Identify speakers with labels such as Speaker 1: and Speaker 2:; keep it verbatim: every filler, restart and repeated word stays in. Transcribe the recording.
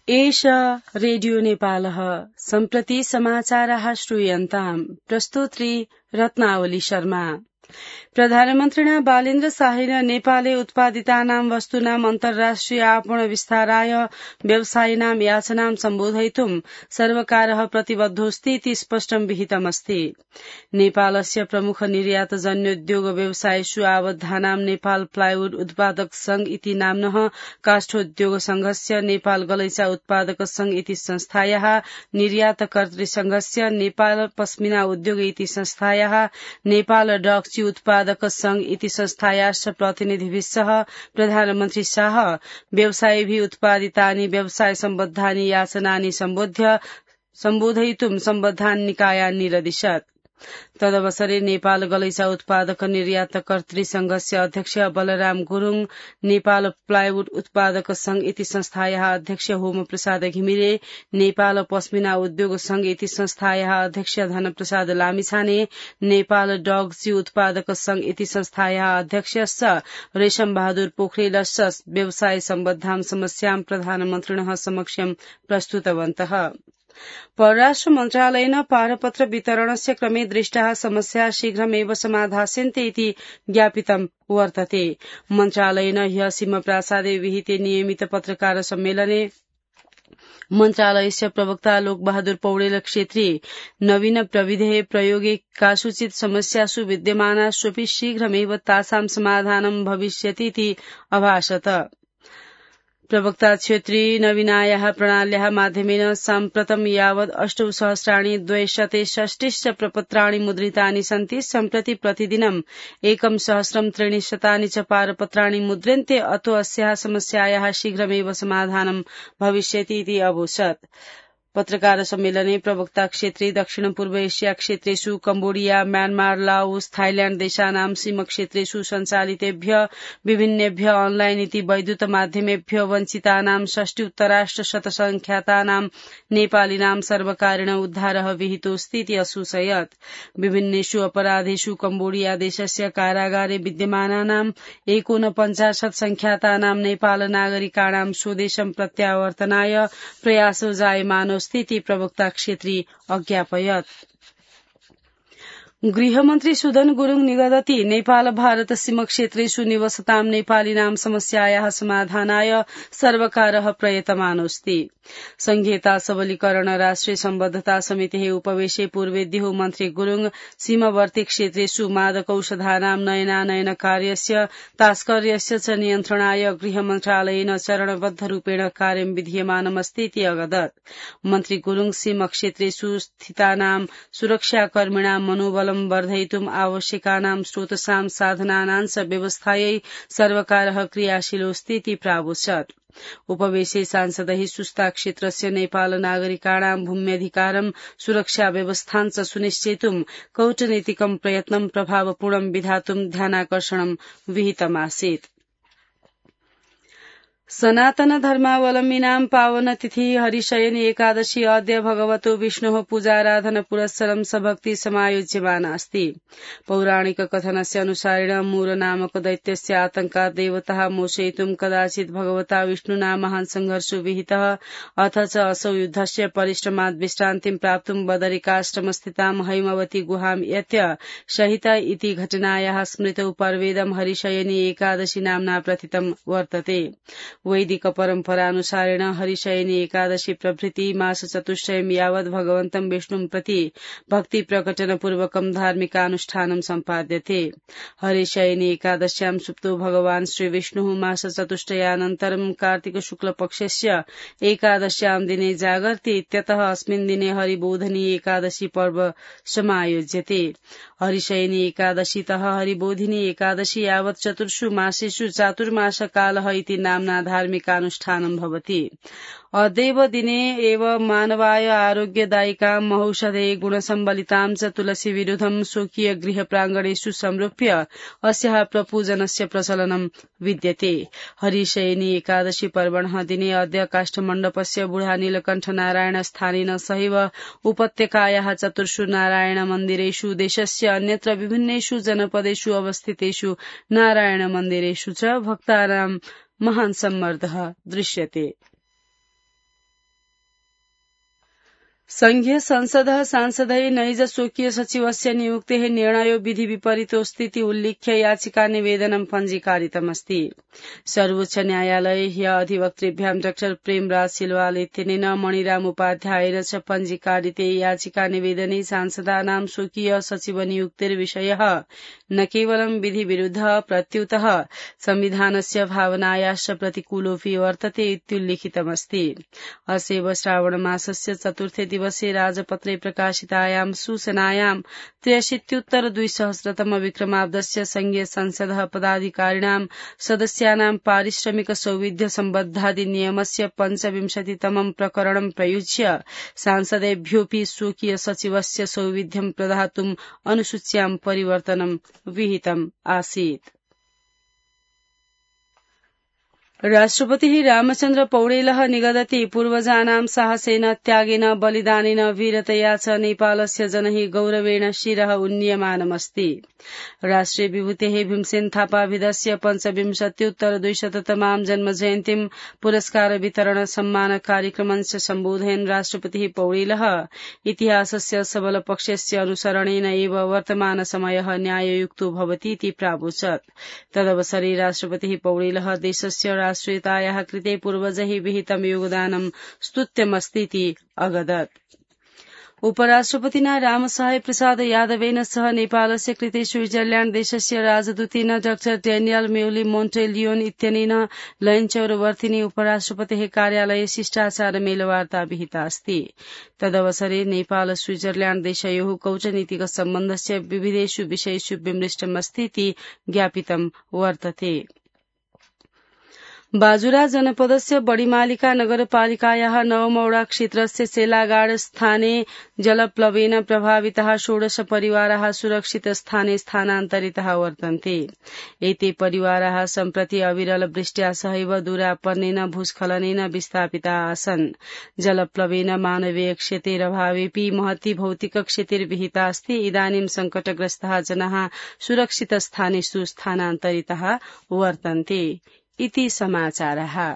Speaker 1: एष रेडियो नेपालः सम्प्रति समाचारः श्रूयन्ताम् प्रस्तुत्री रत्नावली शर्मा। प्रधानमन्त्रिणा बालेन्द्र शाहेन नेपाले उत्पादितानां वस्तूनां अन्तर्राष्ट्रिय आपण विस्ताराय व्यवसायिनां याचनां सम्बोधयितुं सर्वकारः प्रतिबद्धोऽस्ति इति स्पष्टं विहितमस्ति। नेपालस्य प्रमुख निर्यातजन्योद्योग व्यवसायेषु आबद्धानां नेपाल प्लाइवुड उत्पादक संघ इति नाम्नः काष्ठोद्योग संघस्य नेपाल गलैंचा उत्पादक संघ इति संस्थायाः निर्यातकर्तृ संघस्य नेपाल पश्मिना उद्योग इति संस्थायाः नेपाल डक्ची उत्पादक संघ इति संस्थायाश्च प्रतिनिधिभिः सह प्रधानमन्त्री शाह व्यवसायिभिः उत्पादितानि व्यवसाय सम्बद्धानि याचनानि सम्बोध्य सम्बोधयितुं सम्बद्धान् निकायान् निरदिशत्। तदवसरे नेपाल गलैंचा उत्पादक निर्यातकर्तृ संघस्य अध्यक्ष बलराम गुरूङ, नेपाल प्लाइवुड उत्पादक संघ इति संस्थायाः अध्यक्ष होम प्रसाद घिमिरे, नेपाल पश्मिना उद्योग संघ इति संस्थायाः अध्यक्ष धनप्रसाद लामिछाने, नेपाल डगची उत्पादक संघ इति संस्थायाः अध्यक्ष रेशम बहादुर पोखरेलश्च व्यवसाय सम्बद्धां समस्यां प्रधानमन्त्रिणः समक्षं प्रस्तुतवन्तः। परराष्ट्र मन्त्रालयेन पारपत्र वितरणस्य क्रमे दृष्टाः समस्याः शीघ्रमेव समाधास्यन्ते इति ज्ञापितं वर्तते। मन्त्रालयेन ह्यः सिंहप्रासादे विहिते नियमित पत्रकार सम्मेलने मन्त्रालयस्य प्रवक्ता लोकबहादुर पौडेल क्षेत्रे नवीन प्रविधेः प्रयोगे कासुचित समस्यासु विद्यमानास्वपि शीघ्रमेव तासां समाधानं भविष्यतीति अभाषत। प्रवक्ता क्षेत्री नवीनायाः प्रणाल्याः माध्यमेन साम्प्रतं यावत् अष्टौ सहस्राणि द्वयशते षष्टिश्च प्रपत्राणि मुद्रितानि सन्ति। सम्प्रति प्रतिदिनम् एकं सहस्रं त्रीणि शतानि च पारपत्राणि मुद्र्यन्ते। अतो अस्याः समस्यायाः शीघ्रमेव समाधानं भविष्यति इति अवोचत्। पत्रकार सम्मेलने प्रवक्ता क्षेत्रे दक्षिण पूर्व एशिया क्षेत्रेषु कम्बोडिया, म्यानमार, लाओस, थाइल्याण्ड देशानां सीमक्षेत्रेषु सञ्चालितेभ्य विभिन्नेभ्य ऑनलाइन इति वैद्युत माध्यमेभ्य वञ्चितानां षष्टिउत्तराष्ट शतसंख्यातानां नेपालिनां सर्वकारेण उद्धारः विहितोऽस्ति इति असूचयत्। विभिन्नेषु अपराधेषु कम्बोडिया देशस्य कारागारे विद्यमानानां एकोनपञ्चाशत् संख्यातानां नेपाल नागरिकाणां स्वदेशं प्रत्यावर्तनाय प्रयासो जायमानो स्थिति प्रवक्ता क्षेत्री अज्ञापयत्। गृहमन्त्री सुदन गुरूङ निगदति नेपाल भारत सीमक्षेत्रेषु निवसतां नेपालिनां समस्यायाः समाधानाय सर्वकारः प्रयतमानोऽस्ति। संघीयता सबलीकरण राष्ट्रिय सम्बद्धता समितिः उपवेशे पूर्वेद्युः मन्त्री गुरूङ सीमवर्ती क्षेत्रेषु मादकौषधानां नयनानयन कार्यस्य तास्कर्यस्य च नियन्त्रणाय गृहमन्त्रालयेन चरणबद्ध रूपेण कार्यं विधीयमानमस्ति इति अवदत्। मन्त्री गुरूङ सीमक्षेत्रेषु स्थितानां सुरक्षाकर्मिणां मनोबलं वर्धयितुम् आवश्यकानां स्रोतसां साधनानां च व्यवस्थायै सर्वकारः क्रियाशीलोऽस्ति इति प्रावोचत्। उपवेशे सांसदैः सुस्ता क्षेत्रस्य नेपाल नागरिकाणां भूम्यधिकारं सुरक्षा व्यवस्थां च सुनिश्चेतुं कूटनीतिकं प्रयत्नं प्रभावपूर्णं विधातुं ध्यानाकर्षणं विहितमासीत्। सनातन धर्मावलम्बिनां पावनतिथि हरिशयनी एकादशी अद्य भगवतो विष्णोः पूजाराधन पुरस्सरं सभक्ति समायोज्यमानास्ति। पौराणिक कथनस्य अनुसारेण मूर नामक दैत्यस्य आतंकात् देवताः मोचयितुं कदाचित् भगवता विष्णुना महान् संघर्षो विहितः। अथ च असौ युद्धस्य परिश्रमात् विश्रान्तिं प्राप्तुं बदरिकाश्रमस्थितां हैमवती गुहां यत्य सहित इति घटनायाः स्मृतौ पर्वेदं हरिशयनी एकादशी नाम्ना प्रथितं वर्तते। वैदिक परम्परानुसारेण हरिशयनी एकादशी प्रभृति मास चतुष्टयं यावत् भगवन्तं विष्णुं प्रति भक्ति प्रकटनपूर्वकं धार्मिकानुष्ठानं सम्पाद्यते। हरिशयनी एकादश्यां सुप्तो भगवान् श्रीविष्णुः मास चतुष्टयानन्तरं कार्तिक शुक्लपक्षस्य एकादश्यां दिने जागर्ति इत्यतः अस्मिन् दिने हरिबोधिनी एकादशी पर्व समायोज्यते। हरिशयनी एकादशीतः हरिबोधिनी एकादशी यावत् चतुर्षु मासेषु चातुर्मास कालः इति नाम्ना धार्मिकानुष्ठानं भवति। अद्यैव दिने एव मानवाय आरोग्यदायिकां महौषधे गुणसम्बलितां च तुलसी विरुद्धं स्वकीय गृह प्राङ्गणेषु संरूप्य अस्याः प्रपूजनस्य प्रचलनं विद्यते। हरिशयनी एकादशी पर्वणः दिने अद्य काष्ठमण्डपस्य बुढा नीलकण्ठ नारायण स्थानेन सहैव उपत्यकायाः चतुर्षु नारायण मन्दिरेषु देशस्य अन्यत्र विभिन्नेषु जनपदेषु अवस्थितेषु नारायण मन्दिरेषु च भक्तानां महान् सम्मर्दः दृश्यते। संघीय संसदः सांसदय नैज स्वकीय सचिवस्य नियुक्तेः निर्णयो विधि विपरीतोऽस्तीति उल्लिख्य याचिका निवेदनं पञ्जीकारितमस्ति। सर्वोच्च न्यायालये ह्य अधिवक्तृभ्यां डाक्टर प्रेमराज सिलवाल इत्यनेन मणिराम उपाध्यायेन च पञ्जीकारिते याचिका निवेदने सांसदानां स्वकीय सचिव नियुक्तिर्विषयः न केवलं विधि विरुद्धः प्रत्युतः संविधानस्य भावनायाश्च प्रतिकूलोऽपि वर्तते इत्युल्लिखितमस्ति। अस्यैव श्रावणमासस्य चतुर्थे दिवसे राजपत्रे प्रकाशितायां सूचनायां त्र्यशीत्युत्तर द्विसहस्रतम विक्रमाब्दस्य संघीय संसदः पदाधिकारिणां सदस्यानां पारिश्रमिक सौविध्य सम्बद्धाधिनियमस्य पञ्चविंशतितमं प्रकरणं प्रयुज्य सांसदेभ्योऽपि स्वकीय सचिवस्य सौविध्यं प्रदातुम् अनुसूच्यां परिवर्तनं विहितम् आसीत्। राष्ट्रपतिः रामचन्द्र पौडेलः निगदति पूर्वजानां साहसेन त्यागेन बलिदानेन वीरतया च नेपालस्य जनैः गौरवेण शिरः उन्नीयमानमस्ति। राष्ट्रिय विभूतेः भीमसेन थापाभिधस्य पञ्चविंशत्युत्तर द्विशततमां जन्मजयन्तीं पुरस्कार वितरण सम्मान कार्यक्रमञ्च सम्बोधयन् राष्ट्रपतिः पौडेलः इतिहासस्य सबलपक्षस्य अनुसरणेन एव वर्तमान समयः न्याययुक्तो भवति इति प्रावोचत्। तदवसरे राष्ट्रपतिः पौडेलः देशस्य राष्ट्रियतायाः कृते पूर्वजैः विहितं योगदानं स्तुत्यमस्तीति अगदत्। उपराष्ट्रपतिना रामसहाय प्रसाद यादवेन सह नेपालस्य कृते स्विट्जरल्याण्ड देशस्य राजदूतेन डाक्टर डेनियल मेउली मोन्टेलियोन इत्यनेन लयनचौरवर्तिनि उपराष्ट्रपतेः कार्यालये शिष्टाचार मेलवार्ता विहिता अस्ति। तदवसरे नेपाल स्विट्जरल्याण्ड देशयोः कूटनीतिक सम्बन्धस्य विविधेषु विषयेषु विमृष्टमस्तीति ज्ञापितं वर्तते। बाजुरा जनपदस्य बडिमालिका नगरपालिकायाः नवमौडा क्षेत्रस्य सेलागाड स्थाने जलप्लवेन प्रभाविताः षोडश परिवाराः सुरक्षित स्थाने स्थानान्तरिताः वर्तन्ते। एते परिवाराः सम्प्रति अविरल वृष्ट्या सहैव दूरापन्नेन भूस्खलनेन विस्थापिताः आसन्। जलप्लवेन मानवीय क्षतिरभावेऽपि महती भौतिक क्षतिर्विहिता अस्ति। इदानीं संकटग्रस्ताः जनाः सुरक्षित स्थानेषु स्थानान्तरिताः वर्तन्ते। इति समाचारः।